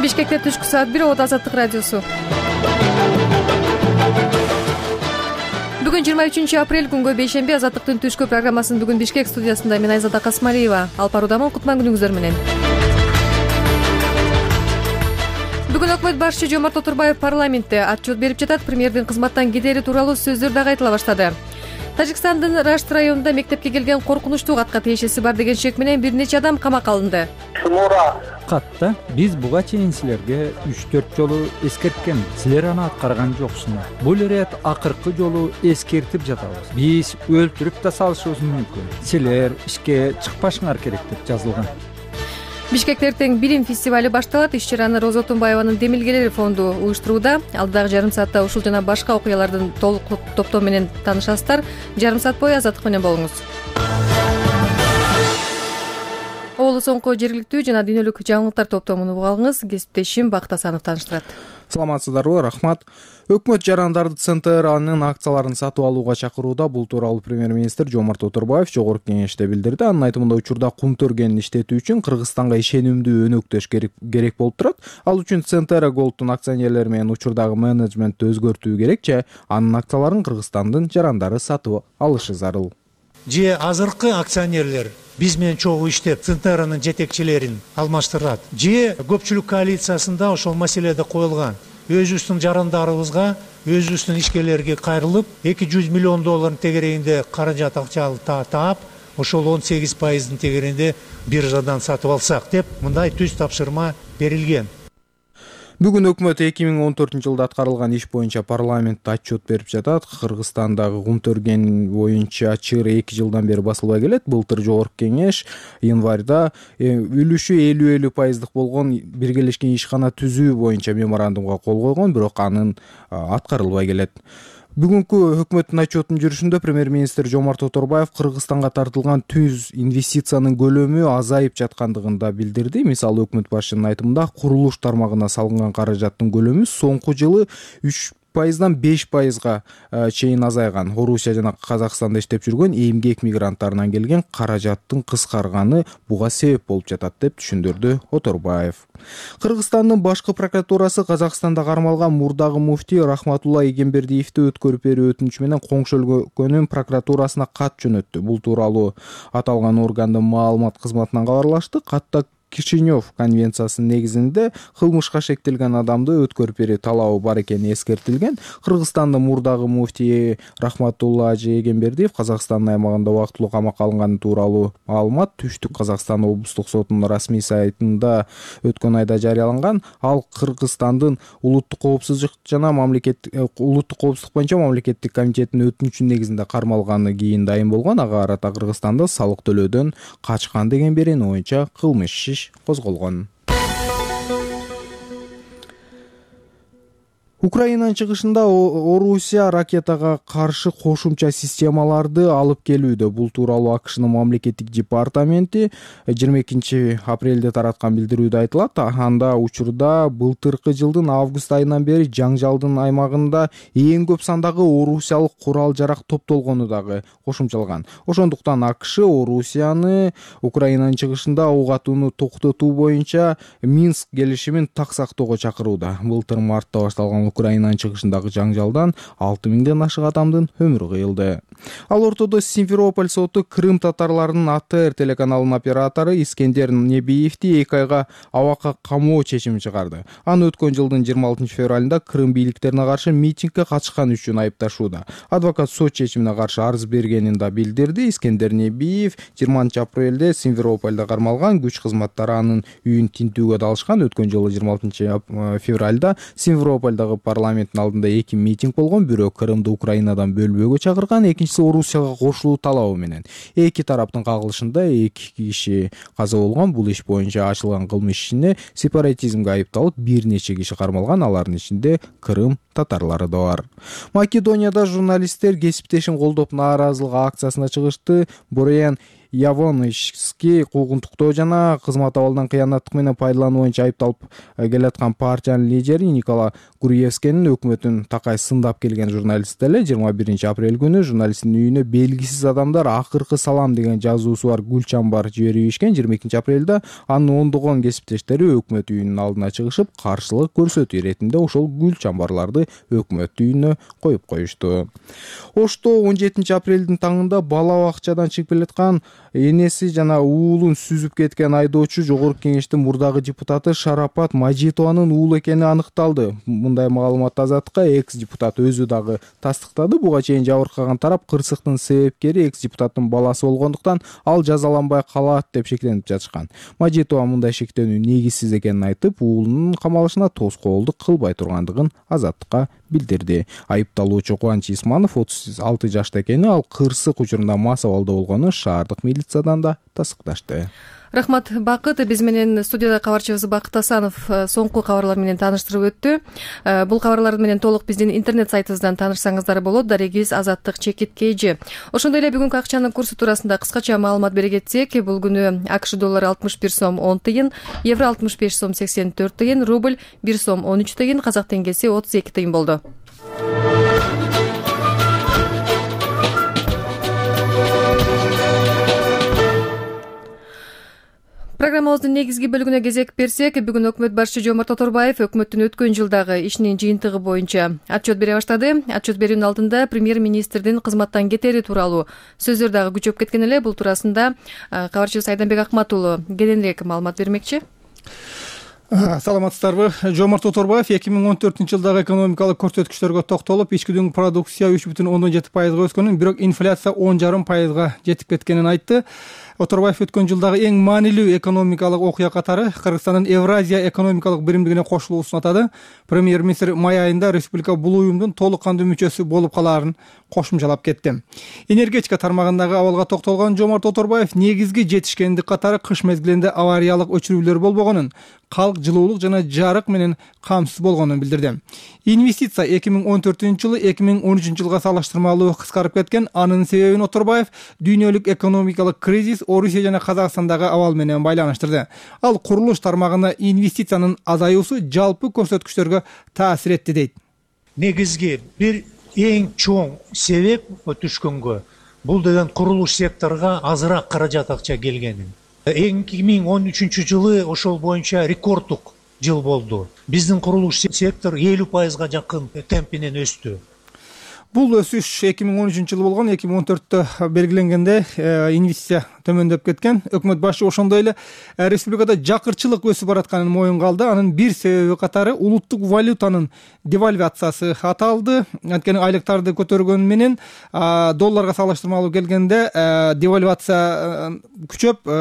Бишкекте түшкү саат 1 Оот Азаттык радиосу. Бүгүн 23 апрель күнгө бейшемби. Азаттыктын түшкү программасын бүгүн Бишкек студиясында мен Айзада Касмалиева алып баруудамын. Кутман күнүңүздөр менен. Бүгүн өкмөт башчы Жомарт Отурбаев парламентте отчет берип жатат. Премьердин кызматтан кетери тууралуу сөздөр дагы айтыла баштады. Тажикстандын Рашт районунда мектепке келген коркунучтуу катка тиешеси бар деген шек менен бир нече адам камакка алынды. Катта биз буга чейин силерге 3-4 жолу эскерткен, силер аны аткарган жоксуңар. Бул ирет акыркы жолу эскертип жатабыз. Биз өлтүрүп да салышыбыз мүмкүн. Силер ишке чыкпашыңар керек деп жазылган. Бишкекте эртең билим фестивали башталат. Иш-чараны Роза Отунбаеванын Демилгелер фонду уюштурууда. Алдыдагы жарым саатта ушул жана башка окуялардын толук топтому менен таанышасыздар. Жарым саат бою Азаттык менен болуңуз. Оолу соңку жергиликтүү жана дүйнөлүк жаңылыктар топтомуну угуп алыңыз. Кесиптешим Бакыт Асанов тааныштырат. Саламатсыздарбы, рахмат. Өкмөт жарандарды ЦНТРнын акцияларын сатып алууга чакырууда. Бул тууралуу премьер-министр Жомарт Отурбаев жогорку кеңеште билдирди. Анын айтымында учурда кумтөргенин иштетүү үчүн Кыргызстанга ишенимдүү өнөктөш керек болуп турат. Ал үчүн ЦНТР Голдтун акционерлери менен учурдагы менеджментти өзгөртүү керек же анын акцияларын Кыргызстандын жарандары сатып алышы зарыл. Же азыркы акционерлер биз менен чогуу иштеп ЦНТРнын жетекчилерин алмаштырат. Же көпчүлүк коалициясында ошол маселеде коюлган. Өзүбүздүн жарандарыбызга, өзүбүздүн ишкерлерге кайрылып, 200 миллион доллардын тегерегинде каражат акчалы таап, ошол 18%-дын тегерегинде биржадан сатып алсак деп мындай түз тапшырма берилген. Бүгүн өкмөт 2014-жылда аткарылган иш боюнча парламентте отчет берип жатат. Кыргызстандагы кумтөрген боюнча чыр 2 жылдан бери басылбай келет. Былтыр жогорку кеңеш январда үлүшү 50-50% болгон биргелешкен ишкана түзүү боюнча меморандумга кол койгон, бирок анын аткарылбай келет. Бүгүнкү өкмөттүн отчетунун жүрүшүндө премьер-министр Жомарт Отурбаев Кыргызстанга тартылган түз инвестициянын көлөмү азайып жаткандыгын да билдирди. Мисалы, өкмөт башчынын айтымында курулуш тармагына салынган каражаттын көлөмү соңку жылы 3%-дан 5%га чейин азайган. Орусия жана Казакстанда иштеп жүргөн эмгек мигранттарынан келген каражаттын кыскарганы буга себеп болуп жатат деп түшүндүрдү Отурбаев. Кыргызстандын башкы прокуратурасы Казакстанда кармалган мурдагы муфтий Рахматулла Эгембердиевди өткөрүп берүү өтүнүчү менен коңшу өлкөнүн прокуратурасына кат жөнөттү. Бул тууралуу аталган органдын маалымат кызматынан кабарлашты. Катта Кишинев конвенциясынын негизинде кылмышка шектелген адамды өткөрүп берүү талабы бар экени эскертилген. Кыргызстандын мурдагы муфтии Рахматулла Эгембердиев Казакстандын аймагында убактылуу камакка алынганы тууралуу маалымат Түштүк Казакстан облустук сотунун расмий сайтында өткөн айда жарыяланган. Ал Кыргызстандын улуттук коопсуздук боюнча мамлекеттик комитетинин өтүнүчүнүн негизинде кармалганы кийин дайын болгон. Ага карата Кыргызстанда салык төлөөдөн качкан деген берени боюнча кылмыш иш козголгон. Украинанын чыгышында Орусия ракетага каршы кошумча системаларды алып келүүдө. Бул тууралуу АКШнын мамлекеттик департаменти 22 апрелде тараткан билдирүүдө айтылат. Анда учурда былтыркы жылдын август айынан бери жаңжалдын аймагында эң көп сандагы орусиялык курал-жарак топтолгону дагы кошумчалган. Ошондуктан АКШ Орусияны Украинанын чыгышында ок атууну токтотуу боюнча Минск келишимин так сактоого чакырууда. Былтыр мартта башталган Украинанын чыгышындагы жаңжалдан 6000ден ашык адамдын өмүрү кыйылды. Ал ортодо Симферополь соту Крым татарларынын АТР телеканалынын оператору Искендер Небиевди 2 айга абакка камоо чечими чыгарды. Аны өткөн жылдын 26 февралында Крым бийликтерине каршы митингге катышкан үчүн айыпташууда. Адвокат сот чечимине каршы арыз бергенин да билдирди. Искендер Небиев 20 апрелде Симферопольдо кармалган. Күч кызматтары анын үйүн тинтүүгө далышкан. Өткөн жылы 26 февралда Симферопольдогу парламенттин алдында 2 митинг болгон. Бирөө Крымды Украинадан бөлбөөгө чакырган, экинчиси Орусияга кошулуу талабы менен. Эки тараптын кагылышында 2 киши каза болгон. Бул иш боюнча ачылган кылмыш ишине сепаратизмге айыпталып бир нече киши кармалган. Алардын ичинде Крым татарлары да бар. Македонияда журналисттер кесиптешин колдоп нааразылык акциясына чыгышты. Борян Явонский куугунтуктоо жана кызмат абалдан кыянаттык менен пайдалануу боюнча айыпталып келаткан партиянын лидери Никола Гурьевскийнин өкмөтүн такай сындап келген журналист эле 21-апрель күнү журналисттин үйүнө белгисиз адамдар акыркы салам деген жазуусу бар гүл чамбар жиберип ийишкен. 22-апрелде анын ондогон кесиптештери өкмөт үйүнүн алдына чыгышып, каршылык көрсөтүү иретинде ошол гүл чамбарларды өкмөт үйүнө коюп коюшту. Ошто 17-апрелдин таңында бала бакчадан чыгып келаткан энеси жана уулун сүзүп кеткен айдоочу Жогорку Кеңештин мурдагы депутаты Шарапат Мажитованын уулу экени аныкталды. Мындай маалыматты Азаттыкка экс-депутат өзү дагы тастыктады. Буга чейин жабыркаган тарап кырсыктын себепкери экс-депутаттын баласы болгондуктан ал жазаланбай калат деп шектенип жатышкан. Мажитова мындай шектенүү негизсиз экенин айтып, уулунун камалышына тоскоолдук кылбай тургандыгын Азаттыкка билдирди. Айыпталуучу Кубанч Исманов 36 жашта экени, ал кырсык учурунда мас абалда болгону шаардык милициядан да тастыкташты. Рахмат, Бакыт. Биз менен студияда кабарчыбыз Бакыт Асанов соңку кабарлар менен тааныштырып өттү. Бул кабарлар менен толук биздин интернет сайтыбыздан таанышсаңыздар болот. Дарегибиз Азаттык Чекит KG. Ошондой эле бүгүнкү акчанын курсу туурасында кыскача маалымат бере кетсек, бул күнү АКШ доллары 61 сом 10 тыйын, евро 65 сом 84 тыйын, рубль 1 сом 13 тыйын, казак теңгеси 32 тыйын болду. Программабыздын негизги бөлүгүнө кезек берсек, бүгүн өкмөт башчы Жомарт Оторбаев өкмөттүн өткөн жылдагы ишинин жыйынтыгы боюнча отчет бере баштады. Отчет берүүнүн алдында премьер-министрдин кызматтан кетери тууралуу сөздөр дагы күчөп кеткен эле. Бул туурасында кабарчыбыз Айданбек Акмат уулу кененирээк маалымат бермекчи. Саламатсыздарбы? Жомарт Оторбаев 2014-жылдагы экономикалык көрсөткүчтөргө токтолуп, ички дүң продукция 3,7%га өскөнүн, бирок инфляция 10,5%га жетип кеткенин айтты. Оторбаев өткөн жылдагы эң маанилүү экономикалык окуя катары Кыргызстандын Евразия экономикалык биримдигине кошулуусун атады. Премьер-министр май айында республика бул уюмдун толук кандуу мүчөсү болуп калаарын кошумчалап кетти. Энергетика тармагындагы абалга токтолгон Жомарт Оторбаев негизги жетишкендик катары кыш мезгилинде авариялык өчүрүүлөр болбогонун, калк жылуулук жана жарык менен камсыз болгонун билдирди. Инвестиция 2014-жылы 2013-жылга салыштырмалуу кыскарып кеткен. Анын себебин Оторбаев дүйнөлүк экономикалык кризис, Орусия жана Казакстандагы абал менен байланыштырды. Ал курулуш тармагына инвестициянын азаюусу жалпы көрсөткүчтөргө таасир этти дейт. Негизги бир эң чоң себеп түшкөнгө бул деген курулуш секторуна азыраак каражат акча келгени. 2013-жылы ошол боюнча рекорддук жыл болду. Биздин курулуш сектор 50%га жакын темпинен өстү. Бул өсүш 2013-жылы болгон, 2014-тө белгиленгенде инвестиция төмөндөп кеткен. Өкмөт башы ошондой эле республикада жакырчылык өсүп баратканын моюнга алды. Анын бир себеби катары улуттук валютанын девальвациясы аталды. Анткени айлыктарды көтөргөнү менен долларга салыштырмалуу келгенде девальвация күчөп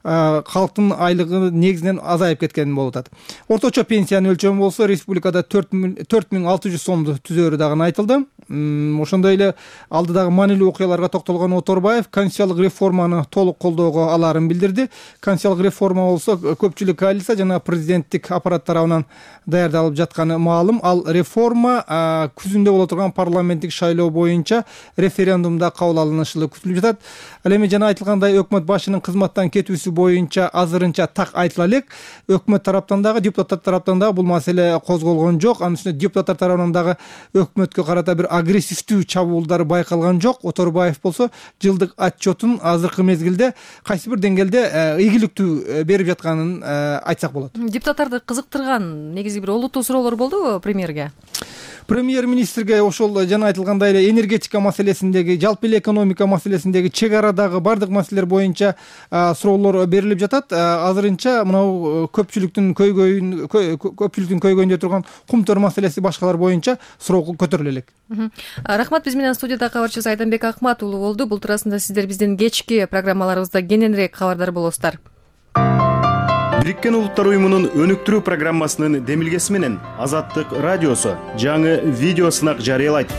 калктын айлыгы негизинен азайып кеткен болуп атат. Орточо пенсиянын өлчөмү болсо республикада 4600 сомду түзөөрү дагы айтылды. Ошондой эле алдыдагы маанилүү окуяларга токтолгон Оторбаев конституциялык реформаны толук колдоого алаарын билдирди. Конституциялык реформа болсо көпчүлүк коалиция жана президенттик аппарат тарабынан даярдалып жатканы маалым. Ал реформа күзүндө боло турган парламенттик шайлоо боюнча референдумда кабыл алынышы күтүлүп жатат. Ал эми жана айтылгандай өкмөт башынын кызматтан кетүүсү боюнча азырынча так айтыла элек. Өкмөт тараптан дагы, депутаттар тараптан дагы бул маселе козголгон жок. Анын үстүнө депутаттар тарабынан дагы өкмөткө карата бир агрессивдүү чабуулдар байкалган жок. Оторбаев болсо жылдык отчетун азыркы мезгилде кайсы бир деңгээлде ийгиликтүү берип жатканын айтсак болот. Депутаттарды кызыктырган негизи бир олуттуу суроолор болдубу премьерге? Премьер-министрге ошол жана айтылгандай эле энергетика маселесиндеги, жалпы эле экономика маселесиндеги, чек арадагы бардык маселелер боюнча суроолор берилип жатат. Азырынча мынау көпчүлүктүн көйгөйүндө турган кумтөр маселеси башкалар боюнча суроо көтөрүлө элек. Рахмат. Биз менен студияда кабарчыбыз Айданбек Акмат уулу болду. Бул туурасында сиздер биздин кечки программаларыбызда кененирээк кабардар болосуздар. Бириккен Улуттар уюмунун өнүктүрүү программасынын демилгеси менен Азаттык радиосу жаңы видео сынак жарыялайт.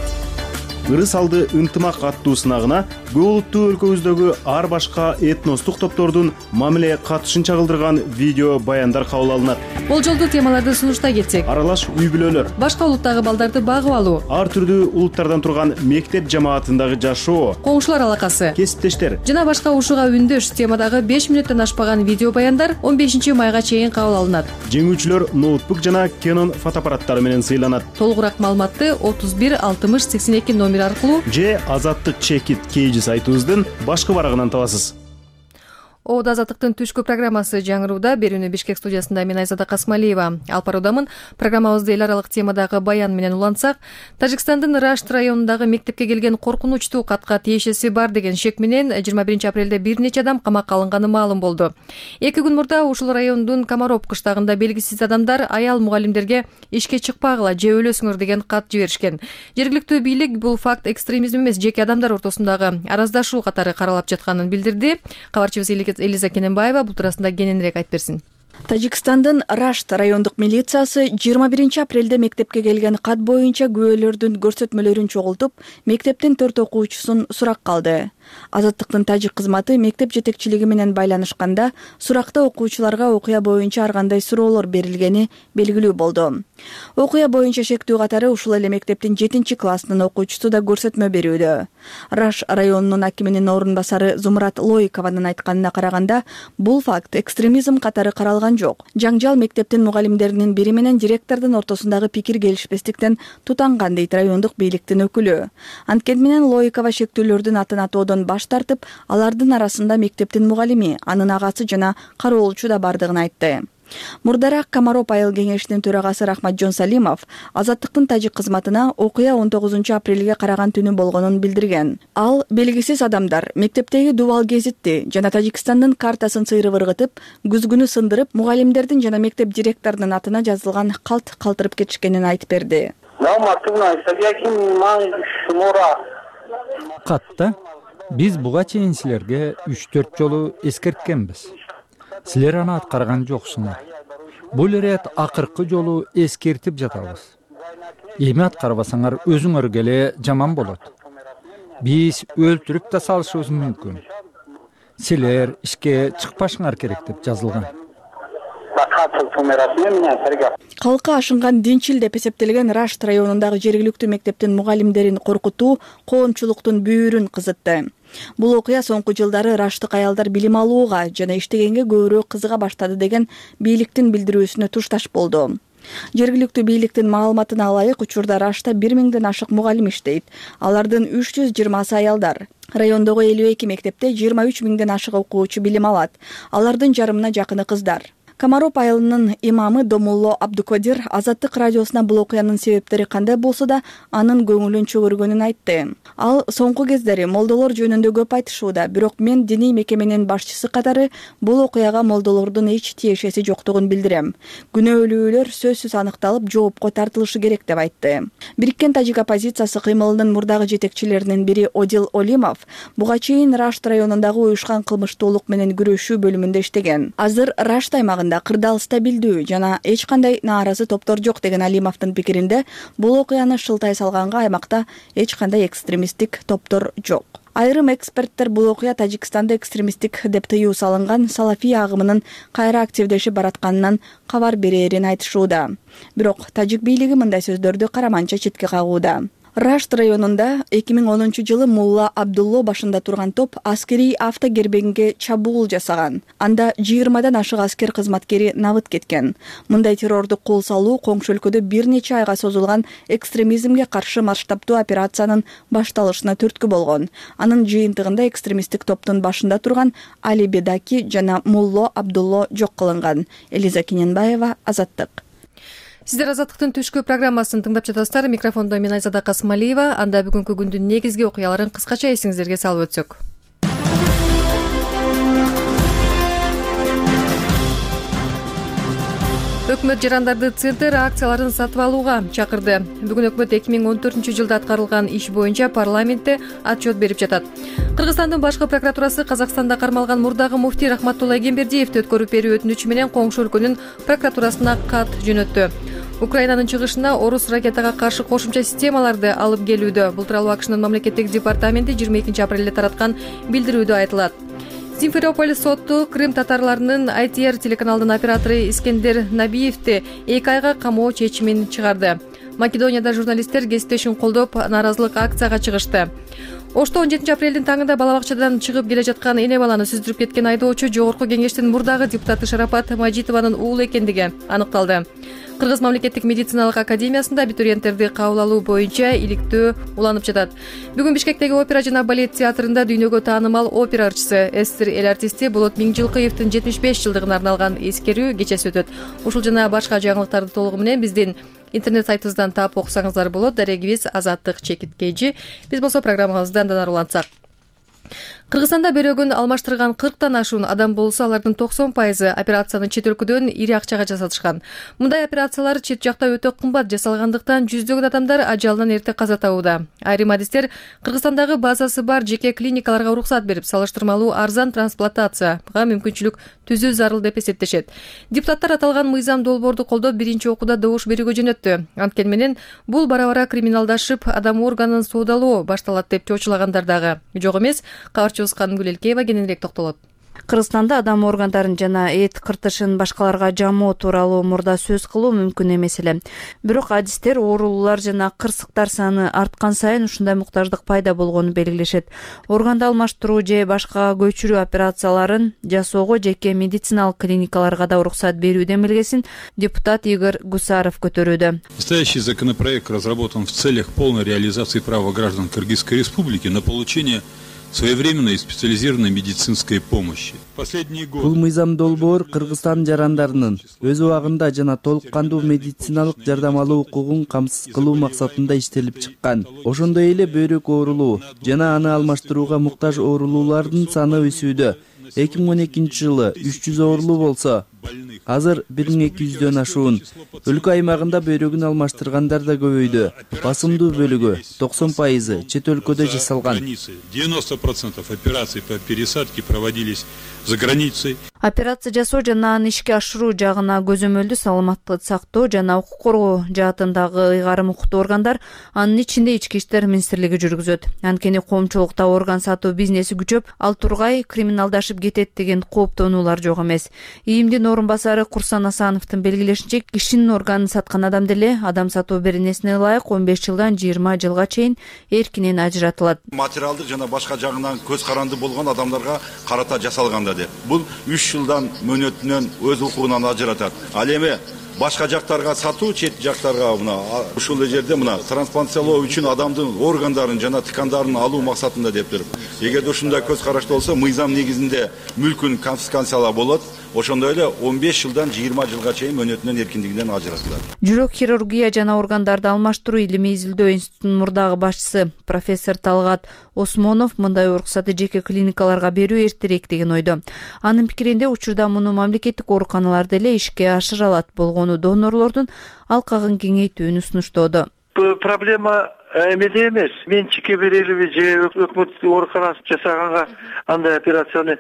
ырыс алды ынтымак аттуу сынагына көп улуттуу өлкөбүздөгү ар башка этностук топтордун мамиле катышын чагылдырган видео баяндар кабыл алынат. Болжолдуу темаларды сунуштай кетсек, аралаш үй бүлөлөр, башка улуттагы балдарды багып алуу, ар түрдүү улуттардан турган мектеп жамаатындагы жашоо, коңшулар алакасы, кесиптештер жана башка ушуга үндөш темадагы 5 мүнөттөн ашпаган видео баяндар 15 майга чейин кабыл алынат. Жеңүүчүлөр ноутбук жана Canon фотоаппараттары менен сыйланат. Толугураак маалыматты 31 60 82 номер аркылуу же Азаттык Чекит KG сайтыбыздын башкы барагынан табасыз. Оодо Азаттыктын түшкү программасы жаңырууда. Берүүнү Бишкек студиясында мен Айзада Касмалиева алып баруудамын. Программабызды эл аралык темадагы баян менен улантсак, Тажикстандын Рашт районундагы мектепке келген коркунучтуу катка тиешеси бар деген шек менен 21 апрелде бир нече адам камакка алынганы маалым болду. 2 күн мурда ушул райондун Комаров кыштагында белгисиз адамдар аял мугалимдерге ишке чыкпагыла же өлөсүңөр деген кат жиберишкен. Жергиликтүү бийлик бул факт экстремизм эмес, жеке адамдар ортосундагы араздашуу катары каралап жатканын билдирди. Кабарчыбыз Элиза Кененбаева бул туурасында кененирээк айтып берсин. Тажикстандын Рашт райондук милициясы 21 апрелде мектепке келген кат боюнча күбөлөрдүн көрсөтмөлөрүн чогултуп, мектептин 4 окуучусун сурак калды. Азаттыктын тажик кызматы мектеп жетекчилиги менен байланышканда суракта окуучуларга окуя боюнча ар кандай суроолор берилгени белгилүү болду. Окуя боюнча шектүү катары ушул эле мектептин 7-классынын окуучусу да көрсөтмө берүүдө. Раш районунун акиминин орун басары Зумрат Лоикованын айтканына караганда, бул факт экстремизм катары каралган жок. Жаңжал мектептин мугалимдеринин бири менен директордун ортосундагы пикир келишпестиктен тутанган дейт райондук бийликтин өкүлү. Анткени менен Лоикова шектүүлөрдүн атын атоодон баш тартып, алардын арасында мектептин мугалими, анын агасы жана кароолчу да бардыгын айтты. Мурдараак Комаров айыл кеңешинин төрагасы Рахматжон Салимов Азаттыктын тажик кызматына окуя 19 апрелге караган түнү болгонун билдирген. Ал белгисиз адамдар мектептеги дубал гезитти жана Тажикстандын картасын сыйрып ыргытып, күзгүнү сындырып, мугалимдердин жана мектеп директорунун атына жазылган калт калтырып кетишкенин айтып берди. Катта биз буга чейин силерге 3-4 жолу эскерткенбиз. Силер аны аткарган жоксуңар. Бул ирет акыркы жолу эскертип жатабыз. Эми аткарбасаңар өзүңөргө эле жаман болот. Биз өлтүрүп да салышыбыз мүмкүн. Силер ишке чыкпашыңар керек деп жазылган. Калкы ашынган динчил деп эсептелген Рашт районундагы жергиликтүү мектептин мугалимдерин коркутуу коомчулуктун бүйүрүн кызытты. Бул окуя соңку жылдары раштык аялдар билим алууга жана иштегенге көбүрөөк кызыга баштады деген бийликтин билдирүүсүнө тушташ болду. Жергиликтүү бийликтин маалыматына ылайык, учурда Рашта 1000ден ашык мугалим иштейт. Алардын 320сы аялдар. Райондогу 52 мектепте 23 000ден ашык окуучу билим алат. Алардын жарымына жакыны кыздар. Комаров айылынын имамы Домулло Абдукодир Азаттык радиосуна бул окуянын себептери кандай болсо да анын көңүлүн чөгөргөнүн айтты. Ал соңку кездери молдолор жөнүндө көп айтышууда, бирок мен диний мекеменин башчысы катары бул окуяга молдолордун эч тиешеси жоктугун билдирем. Күнөөлүүлөр сөзсүз аныкталып, жоопко тартылышы керек деп айтты. Бириккен тажик оппозициясы кыймылынын мурдагы жетекчилеринин бири Одил Олимов буга чейин Рашт районундагы уюшкан кылмыштуулук менен күрөшүү бөлүмүндө иштеген. Азыр Рашт аймагында кырдаал стабилдүү жана эч кандай нааразы топтор жок деген Алимовдун пикиринде, бул окуяны шылтай салганга аймакта эч кандай экстремисттик топтор жок. Айрым эксперттер бул окуя Тажикстанда экстремисттик деп тыюу салынган салафий агымынын кайра активдешип баратканынан кабар берээрин айтышууда. Бирок тажик бийлиги мындай сөздөрдү караманча четке кагууда. Рашт районунда 2010-жылы Мулла Абдулло башында турган топ аскерий автогербеңге чабуул жасаган. Анда 20дан ашык аскер кызматкери набыт кеткен. Мындай террорду кол салуу коңшу өлкөдө бир нече айга созулган экстремизмге каршы масштабтуу операциянын башталышына түрткү болгон. Анын жыйынтыгында экстремисттик топтун башында турган Али Бедаки жана Мулла Абдулло жок кылынган. Элиза Кененбаева, Азаттык. Сиздер Азаттыктын түшкү программасын тыңдап жатасыздар. Микрофондо мен Айзада Касмалиева. Анда бүгүнкү күндүн негизги окуяларын кыскача эсиңиздерге салып өтсөк. Өкмөт жарандарды центр акцияларын сатып алууга чакырды. Бүгүн өкмөт 2014-жылда аткарылган иш боюнча парламентте отчет берип жатат. Кыргызстандын башкы прокуратурасы Казакстанда кармалган мурдагы муфтий Рахматулла Эгембердиевди өткөрүп берүү өтүнүчү менен коңшу өлкөнүн прокуратурасына кат жөнөттү. Украинанын чыгышына орус ракетага каршы кошумча системаларды алып келүүдө. Бул тууралуу АКШнын мамлекеттик департаменти 22 апрелде тараткан билдирүүдө айтылат. Симферополь соту Крым татарларынын ITR телеканалдын оператору Искендер Набиевди 2 айга камоо чечимин чыгарды. Македонияда журналисттер кесиптешин колдоп нааразылык акцияга чыгышты. Ошто 17 апрелдин таңында бала бакчадан чыгып келе жаткан эне баланы сүздүрүп кеткен айдоочу Жогорку Кеңештин мурдагы депутаты Шарапат Мажитованын уулу экендиги аныкталды. Кыргыз мамлекеттик медициналык академиясында абитуриенттерди кабыл алуу боюнча иликтөө уланып жатат. Бүгүн Бишкектеги опера жана балет театрында дүйнөгө таанымал опера ырчысы, эсир эл артисти Болот Миңжилкыевдин 75 жылдыгына арналган эскерүү кечеси өтөт. Ушул жана башка жаңылыктарды толугу менен биздин интернет сайтыбыздан таап окусаңыздар болот. Дарегибиз Азаттык Чекиткейчи. Биз болсо программабыздан улантсак. Кыргызстанда бөйрөгүн алмаштырган 40тан ашуун адам болсо, алардын 90% операцияны чет өлкөдөн ири акчага жасатышкан. Мындай операциялар чет жакта өтө кымбат жасалгандыктан жүздөгөн адамдар ажалынан эрте каза табууда. Айрым адистер Кыргызстандагы базасы бар жеке клиникаларга уруксат берип, салыштырмалуу арзан трансплантацияга мүмкүнчүлүк түзүү зарыл деп эсептешет. Депутаттар аталган мыйзам долбоорду колдоп биринчи окууда добуш берүүгө жөнөттү. Анткени менен бул бара-бара криминалдашып, адам органын соодалоо башталат деп чочулагандар дагы жок эмес. Кабарчыбыз Канымгүл Элкеева кененирээк токтолот. Кыргызстанда адам органдарын жана эт кыртышын башкаларга жамоо тууралуу мурда сөз кылуу мүмкүн эмес эле. Бирок адистер оорулуулар жана кырсыктар саны арткан сайын ушундай муктаждык пайда болгонун белгилешет. Органды алмаштыруу же башкага көчүрүү операцияларын жасоого жеке медициналык клиникаларга да уруксат берүүдөн белгисин депутат Игорь Гусаров көтөрүүдө. Настоящий законопроект разработан в целях полной реализации права граждан Кыргызской Республики на получение своевременной и специализированной медицинской помощи. Бул мыйзам долбоор Кыргызстан жарандарынын өз убагында жана толук кандуу медициналык жардам алуу укугун камсыз кылуу максатында иштелип чыккан. Ошондой эле бөйрөк оорулуу жана аны алмаштырууга муктаж оорулуулардын саны өсүүдө. 2012 жылы 300 оорулуу болсо, азыр 1200дөн ашуун. Өлкө аймагында бөйрөгүн алмаштыргандар да көбөйдү. Басымдуу бөлүгү 90% чет өлкөдө жасалган. 90% операций по пересадке проводились за границей. Операция жасоо жана аны ишке ашыруу жагына көзөмөлдү саламаттыкты сактоо жана укук коргоо жаатындагы ыйгарым укуктуу органдар, анын ичинде Ички иштер министрлиги жүргүзөт. Анткени коомчулукта орган сатуу бизнеси күчөп, ал тургай криминалдашып кетет деген кооптонуулар жок эмес. ИИМдин орун басары Курсан Асановдун белгилешинче, кишинин органын саткан адам деле адам сатуу беренесине ылайык 15 жылдан 20 жылга чейин эркинен ажыратылат. Материалдык жана башка жагынан көз каранды болгон адамдарга карата жасалганда деп. Бул 3 жылдан мөөнөтүнөн өз укугунан ажыратат. Ал эми башка жактарга сатуу, чет жактарга мына ушул жерде мына трансплантациялоо үчүн адамдын органдарын жана ткандарын алуу максатында деп туруп. Эгерде ушундай көз карашты болсо, мыйзам негизинде мүлкүн конфискациялоо болот. Ошондой эле 15 жылдан 20 жылга чейин мөөнөтүнөн эркиндигинен ажыратылат. Жүрөк хирургия жана органдарды алмаштыруу илимий изилдөө институтунун мурдагы башчысы профессор Талгат Осмонов мындай уруксаты жеке клиникаларга берүү эртерээк деген ойдо. Анын пикиринде учурда муну мамлекеттик ооруканалар деле ишке ашыра алат болгону донорлордун алкагын кеңейтүүнү сунуштоодо. Проблема эмеде эмес. Менчикке берелиби же өкмөт ооруканасы жасаганга андай операцияны.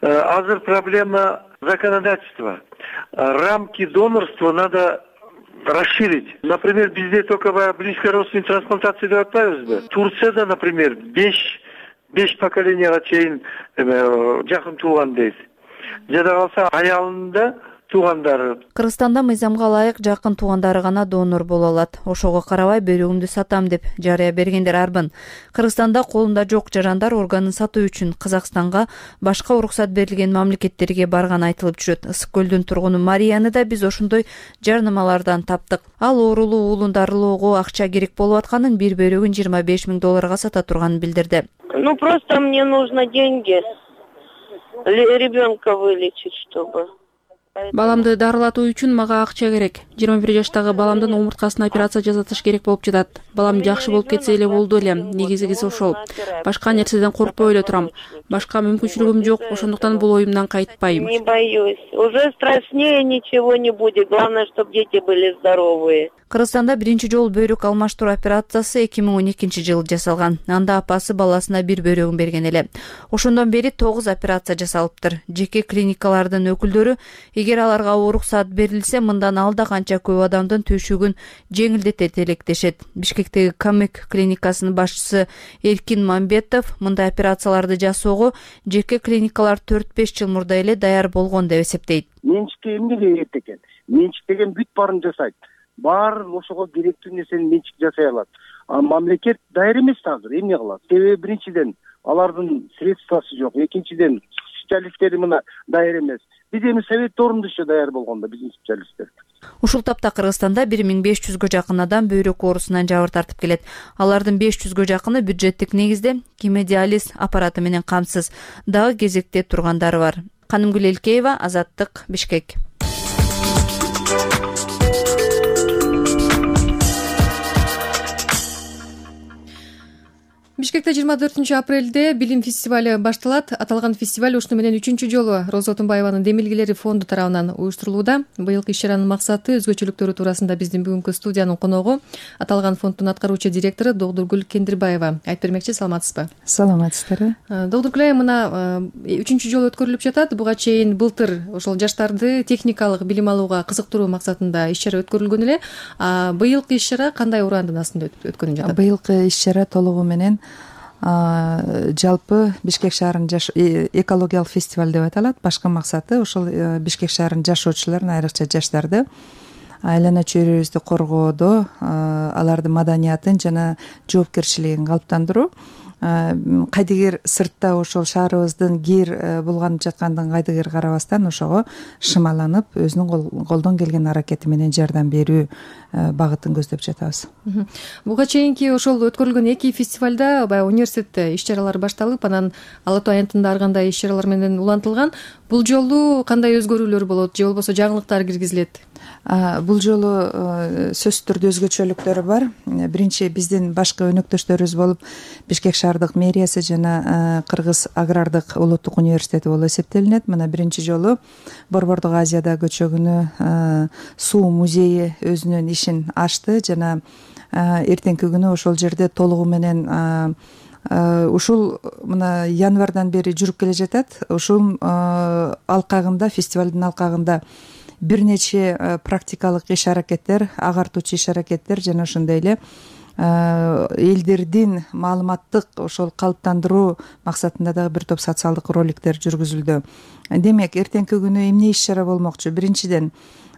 Азыр проблема законодательства. Рамки донорства надо расширить. Например, bizde только близкой родственной трансплантации деп атпайбызбы? Турцияда, например, 5 поколенияга чейин жакын тууган дейт. Жада калса аялында туугандары. Кыргызстанда мыйзамга ылайык жакын туугандары гана донор боло алат. Ошого карабай бөйрөгүмдү сатам деп жарыя бергендер арбын. Кыргызстанда колунда жок жарандар органын сатуу үчүн Казакстанга, башка уруксат берилген мамлекеттерге барган айтылып жүрөт. Ысык көлдүн тургуну Марияны да биз ошондой жарнамалардан таптык. Ал оорулуу уулун дарылоого акча керек болуп атканын, бир бөйрөгүн $25 000 сата турганын билдирди. Просто мне нужно деньги. Ребенка вылечить, чтобы. Баламды дарылатуу үчүн мага акча керек. 21 жаштагы баламдын омурткасына операция жасатыш керек болуп жатат. Балам жакшы болуп кетсе эле болду эле. Негизгиси ошол. Башка нерседен коркпой эле турам. Башка мүмкүнчүлүгүм жок, ошондуктан бул оюмдан кайтпайм. Не боюсь. Уже страшнее ничего не будет. Главное, чтобы дети были здоровые. Кыргызстанда биринчи жолу бөйрөк алмаштыруу операциясы 2012 жылы жасалган. Анда апасы баласына бир бөйрөгүн берген эле. Ошондон бери 9 операция жасалыптыр. Жеке клиникалардын өкүлдөрү Эгер аларга уруксат берилсе, мындан алда канча көп адамдын түйшүгүн жеңилдетет электешет. Бишкектеги Камек клиникасынын башчысы Эркин Мамбетов мындай операцияларды жасоого жеке клиникалар 4-5 жыл мурда эле даяр болгон деп эсептейт. Менчикке эмнеге керек экен? Менчик деген бүт баарын жасайт. Баары ошого керектүү нерсени менчик жасай алат. Мамлекет даяр эмес азыр эмне кылат? Себеби биринчиден алардын средствосы жок, экинчиден специалисттери мына даяр эмес. Биз эми совет орунда даяр болгондо биздин специалисттер. Ушул тапта Кыргызстанда 1500гө жакын адам бөйрөк оорусунан жабыр тартып келет. Алардын 500гө жакыны бюджеттик негизде гемодиализ аппараты менен камсыз. Дагы кезекте тургандары бар. Канымгүл Элкеева, Азаттык, Бишкек. Бишкекте 24 апрелде билим фестивале башталат. Аталган фестиваль ушуну менен 3-чү жолу Роза Отунбаеванын Демилгелери фонду тарабынан уюштурулууда. Быйылкы иш-чаранын максаты өзгөчөлүктөрү туурасында биздин бүгүнкү студиянын коногу аталган фонддун аткаруучу директору Догдургүл Кендирбаева айтып бермекчи. Саламатсызбы? Саламатсыздарбы. Догдургүл айым, мына 3-чү жолу өткөрүлүп жатат. Буга чейин былтыр ошол жаштарды техникалык билим алууга кызыктыруу максатында иш-чара өткөрүлгөн эле. Быйылкы иш-чара кандай ураандын астында өткөрүлүп жатат? Быйылкы иш-чара толугу менен жалпы Бишкек шаарынын экологиялык фестиваль деп аталат. Башкы максаты ошол Бишкек шаарынын жашоочуларын, айрыкча жаштарды айлана чөйрөбүздү коргоодо алардын маданиятын жана жоопкерчилигин калыптандыруу. Кайдыгер сыртта ошол шаарыбыздын кир булганып жаткандыгын кайдыгер карабастан ошого шымаланып, өзүнүн колдон келген аракети менен жардам берүү багытын көздөп жатабыз. Буга чейинки ошол өткөрүлгөн 2 фестивалда баягы университет иш-чаралары башталып, анан Ала Тоо аянтында ар кандай иш-чаралар менен улантылган. Бул жолу кандай өзгөрүүлөр болот же болбосо жаңылыктар киргизилет? Бул жолу сөзсүз түрдө өзгөчөлүктөрү бар. Биринчи, биздин башкы өнөктөштөрүбүз болуп Бишкек шаардык мэриясы жана Кыргыз агрардык улуттук университети болуп эсептелинет. Мына биринчи жолу Борбордук Азияда көчөгүнү суу музейи өзүнүн ишин ачты жана эртеңки күнү ошол жерде толугу менен ушул мына январдан бери жүрүп келе жатат. Ушул алкагында, фестивалдын алкагында бир нече практикалык иш-аракеттер, агартуучу иш-аракеттер жана ошондой эле элдердин маалыматтык ошол калыптандыруу максатында дагы бир топ социалдык роликтер жүргүзүлдү. Демек, эртеңки күнү эмне иш-чара болмокчу? Биринчиден,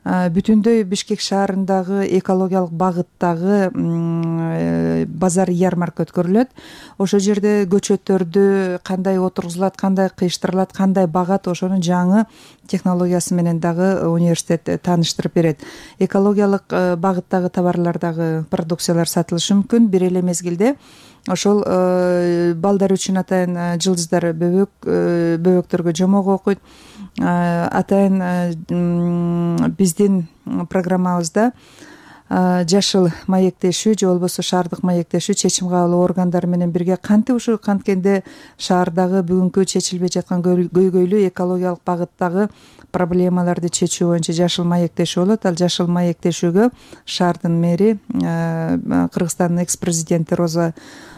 бүтүндөй Бишкек шаарындагы экологиялык багыттагы базар ярмарка өткөрүлөт. Ошол жерде көчөттөрдү кандай отургузулат, кандай кыйыштырылат, кандай багат, ошонун жаңы технологиясы менен дагы университет тааныштырып берет. Экологиялык багыттагы товарлар дагы, продукциялар сатылышы мүмкүн. Бир эле мезгилде ошол балдар үчүн атайын жылдыздар бөбөктөргө жомок окуйт. Атайын биздин программабызда жашыл маектешүү же болбосо шаардык маектешүү чечим кабыл органдары менен бирге кантип ушу канткенде шаардагы бүгүнкү чечилбей жаткан көйгөйлүү экологиялык багыттагы проблемаларды чечүү боюнча жашыл маектешүү болот. Ал жашыл маектешүүгө шаардын мэри, Кыргызстандын экс-президенти Роза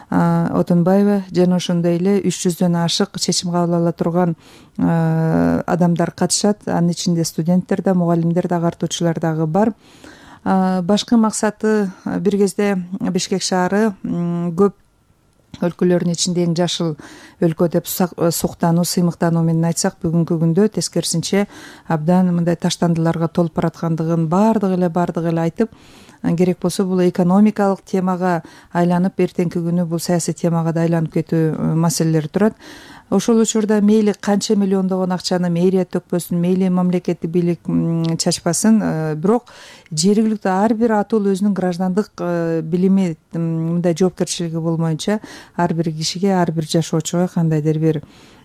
Отунбаева жана ошондой эле 300дөн ашык чечим кабыл ала турган адамдар катышат. Анын ичинде студенттер да, мугалимдер да, агартуучулар дагы бар. Башкы максаты бир кезде Бишкек шаары көп өлкөлөрдүн ичинде эң жашыл өлкө деп суктануу, сыймыктануу менен айтсак, бүгүнкү күндө тескерисинче абдан мындай таштандыларга толуп бараткандыгын баардыгы эле айтып, керек болсо бул экономикалык темага айланып, эртеңки күнү бул саясий темага да айланып кетүү маселелери турат. Ошол учурда мейли канча миллиондогон акчаны мэрия төкпөсүн, мейли мамлекеттик бийлик чачпасын, бирок жергиликтүү ар бир атыл өзүнүн граждандык билими, мындай жоопкерчилиги болмоюнча ар бир кишиге, ар бир жашоочуга кандайдыр бир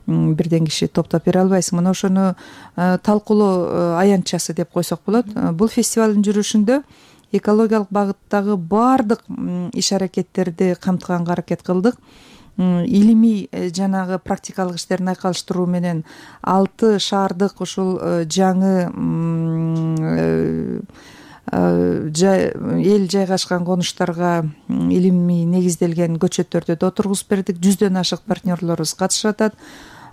бирден киши топтоп бере албайсың. Мына ошону талкуулоо аянтчасы деп койсок болот. Бул фестивалдын жүрүшүндө экологиялык багыттагы баардык иш-аракеттерди камтыганга аракет кылдык. Илимий жанагы практикалык иштерин айкалыштыруу менен 6 шаардык ушул жаңы эл жайгашкан конуштарга илимий негизделген көчөттөрдү да отургузуп бердик. 100дөн ашык партнерлорубуз катышып атат.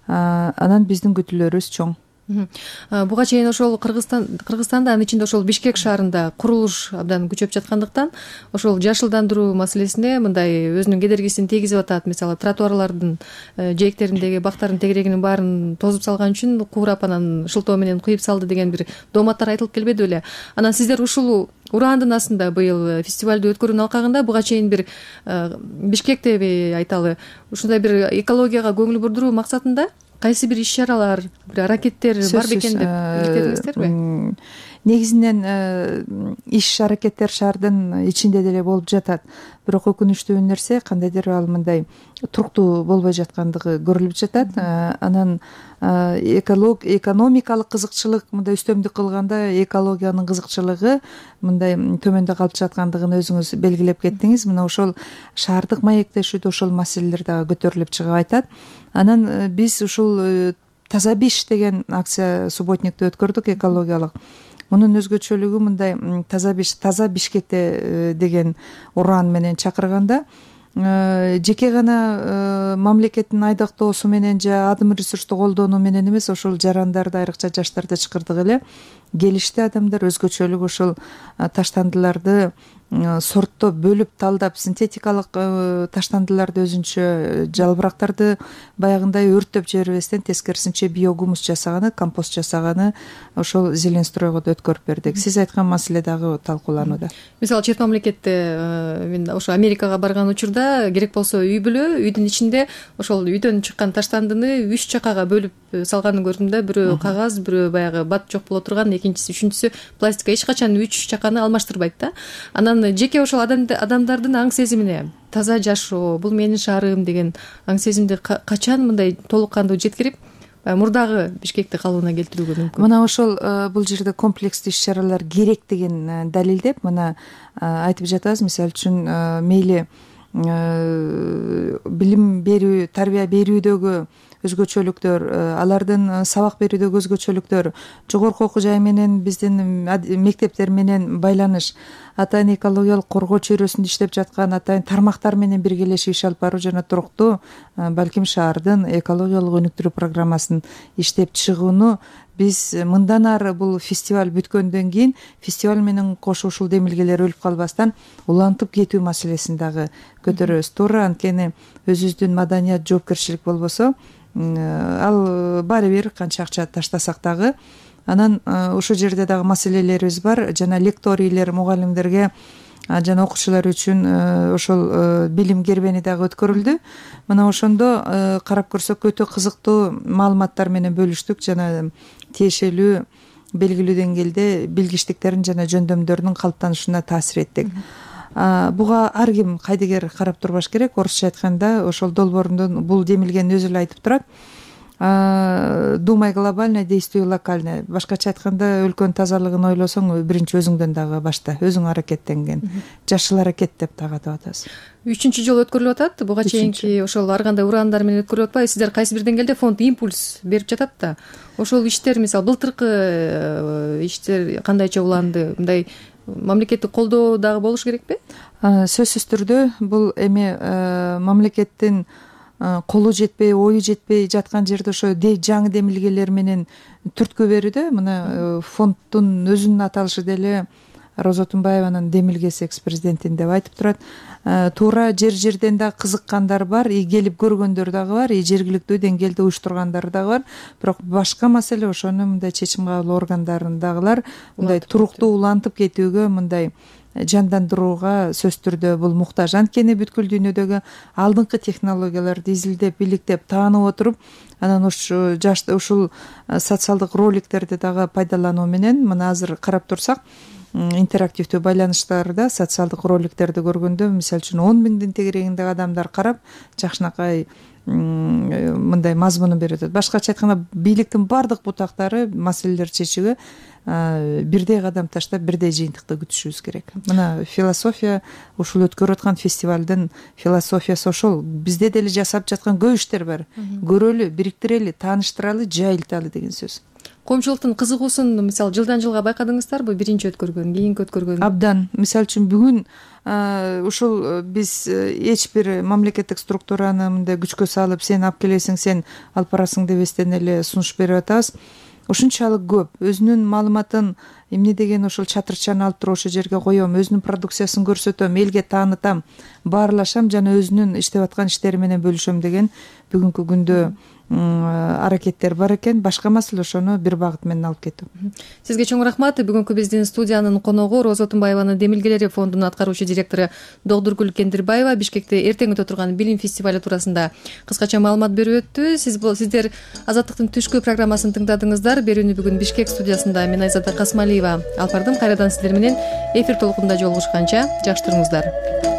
Анан биздин күтүүлөрүбүз чоң. Буга чейин ошол Кыргызстанда анын ичинде ошол Бишкек шаарында курулуш абдан күчөп жаткандыктан ошол жашылдандыруу маселесине мындай өзүнүн кедергисин тийгизип атат. Мисалы тротуарлардын жээктериндеги бактардын тегерегинин баарын тозуп салган үчүн куурап анан шылтоо менен кыйып салды деген бир дооматтар айтылып келбеди беле? Анан сиздер ушул ураандын астында быйыл фестивалды өткөрүүнүн алкагында буга чейин бир Бишкектеби айталы ушундай бир экологияга көңүл бурдуруу максатында кайсы бир иш-чаралар, бир аракеттер бар бекен деп иликтедиңиздерби? Негизинен иш-аракеттер шаардын ичинде деле болуп жатат. Бирок өкүнүчтүү нерсе кандайдыр ал мындай туруктуу болбой жаткандыгы көрүлүп жатат. Анан экономикалык кызыкчылык мындай үстөмдүк кылганда экологиянын кызыкчылыгы мындай төмөндө калып жаткандыгын өзүңүз белгилеп кеттиңиз. Мына ошол шаардык маектешүүдө ошол маселелер дагы көтөрүлүп чыгып айтат. Анан биз ушул таза биш деген акция субботникте өткөрдүк, экологиялык. Мунун өзгөчөлүгү мындай таза Бишкекте деген ураан менен чакырганда жеке гана мамлекеттин айдактоосу менен же адым ресурсту колдонуу менен эмес, ошол жарандарды, айрыкча жаштарды чакырдык эле. Келишти адамдар, өзгөчөлүк ошол таштандыларды сорттоп, бөлүп, талдап, синтетикалык таштандыларды өзүнчө жалбырактарды баягындай өрттөп жибербестен тескерисинче биогумус жасаганы, компост жасаганы ошол зелень стройго да өткөрүп бердик. Сиз айткан маселе дагы талкууланууда. Мисалы чет мамлекетте мен ошо Америкага барган учурда керек болсо үй бүлө үйдүн ичинде ошол үйдөн чыккан таштандыны 3 чакага бөлүп салганын көрдүм да. Бирөө кагаз, бирөө баягы бат жок боло турган, экинчиси, үчүнчүсү пластика. Эч качан 3 чаканы алмаштырбайт да. Анан жеке ошол адамдардын аң сезимине таза жашоо, бул менин шаарым деген аң сезимди качан мындай толук кандуу жеткирип мурдагы Бишкекти калыбына келтирүүгө мүмкүн? Мына ошол бул жерде комплекстүү иш-чаралар керек деген далилдеп мына айтып жатабыз. Мисалы үчүн мейли билим берүү, тарбия берүүдөгү өзгөчөлүктөр, алардын сабак берүүдөгү өзгөчөлүктөр, жогорку окуу жай менен биздин мектептер менен байланыш, атайын экологиялык коргоо чөйрөсүндө иштеп жаткан атайын тармактар менен биргелешип иш алып баруу жана туруктуу балким шаардын экологиялык өнүктүрүү программасын иштеп чыгууну биз мындан ары бул фестиваль бүткөндөн кийин фестиваль менен кошо ушул демилгелер өлүп калбастан улантып кетүү маселесин дагы көтөрөбүз. Туура, анткени өзүбүздүн маданият, жоопкерчилик болбосо ал баары бир канча акча таштасак дагы. Анан ошол жерде дагы маселелерибиз бар. Жана лекторийлер, мугалимдерге жана окуучулар үчүн ошол билим кербени дагы өткөрүлдү. Мына ошондо карап көрсөк өтө кызыктуу маалыматтар менен бөлүштүк жана тиешелүү белгилүү деңгээлде билгичтиктерин жана жөндөмдөрүнүн калыптанышына таасир эттик. Буга ар ким кайдыгер карап турбаш керек. Орусча айтканда ошол долбоорундун бул демилгени өзү эле айтып турат. Думай глобально, действуй локально. Башкача айтканда өлкөнүн тазалыгын ойлосоң биринчи өзүңдөн дагы башта, өзүң аракеттенген. Жашыл аракет деп дагы атап атабыз. 3-чү жолу өткөрүлүп атат. Буга чейинки ошол ар кандай ураандар менен өткөрүлүп атпайбы? Сиздер кайсы бир деңгээлде фонд импульс берип жатат да. Ошол иштер, мисалы былтыркы иштер кандайча уланды? Мындай мамлекеттик колдоо дагы болуш керекпи? Сөзсүз түрдө бул эми мамлекеттин колу жетпей, ою жетпей жаткан жерде ошо жаңы демилгелер менен түрткү берүүдө. Мына фонддун өзүнүн аталышы деле Роза Тунбаеванын демилгеси экс-президентин деп айтып турат. Туура жер-жерден да кызыккандар бар, келип көргөндөр дагы бар, жергиликтүү деңгээлде уюштургандар дагы бар. Бирок башка маселе ошону мындай чечим кабыл органдарындагылар мындай туруктуу улантып кетүүгө, мындай жандандырууга сөзсүз түрдө бул муктаж. Анткени бүткүл дүйнөдөгү алдыңкы технологияларды изилдеп, иликтеп, таанып отуруп, анан ушул социалдык роликтерди дагы пайдалануу менен мына азыр карап турсак, интерактивдүү байланыштарда социалдык роликтерди көргөндө, мисалы үчүн 10 миңдин тегерегиндеги адамдар карап, жакшынакай мындай мазмунун берип атат. Башкача айтканда, бийликтин бардык бутактары маселелерди чечүүгө бирдей кадам таштап, бирдей жыйынтыкты күтүшүбүз керек. Мына философия, ушул өткөрүп аткан фестивалдын философиясы ошол. Бизде деле жасап жаткан көп иштер бар. Көрөлү, бириктирели, тааныштыралы, жайылталы деген сөз. Коомчулуктун кызыгуусун мисалы жылдан жылга байкадыңыздарбы? Биринчи өткөргөн, кийинки өткөргөн? Абдан. Мисалы үчүн бүгүн ушул биз эч бир мамлекеттик структураны мындай күчкө салып, сен алып келесиң, сен алып барасың дебестен эле сунуш берип атабыз. ушунчалык көп, өзүнүн маалыматын эмне деген ошол чатырчаны алып туруп ошол жерге коем, өзүнүн продукциясын көрсөтөм, элге таанытам, баарлашам жана өзүнүн иштеп аткан иштери менен бөлүшөм деген бүгүнкү күндө аракеттер бар экен. Башка маселе ошону бир багыт менен алып кетүү. Сизге чоң рахмат. Бүгүнкү биздин студиянын коногу Роза Отунбаеванын Демилгелери фондунун аткаруучу директору Догдургүл Кендирбаева Бишкекте эртең өтө турган билим фестивалю туурасында кыскача маалымат берип өттү. Сиздер Азаттыктын түшкү программасын тыңдадыңыздар. Берүүнү бүгүн Бишкек студиясында мен Айзада Касмалиева алып бардым. Кайрадан сиздер менен эфир толкунда жолугушканча жакшы туруңуздар.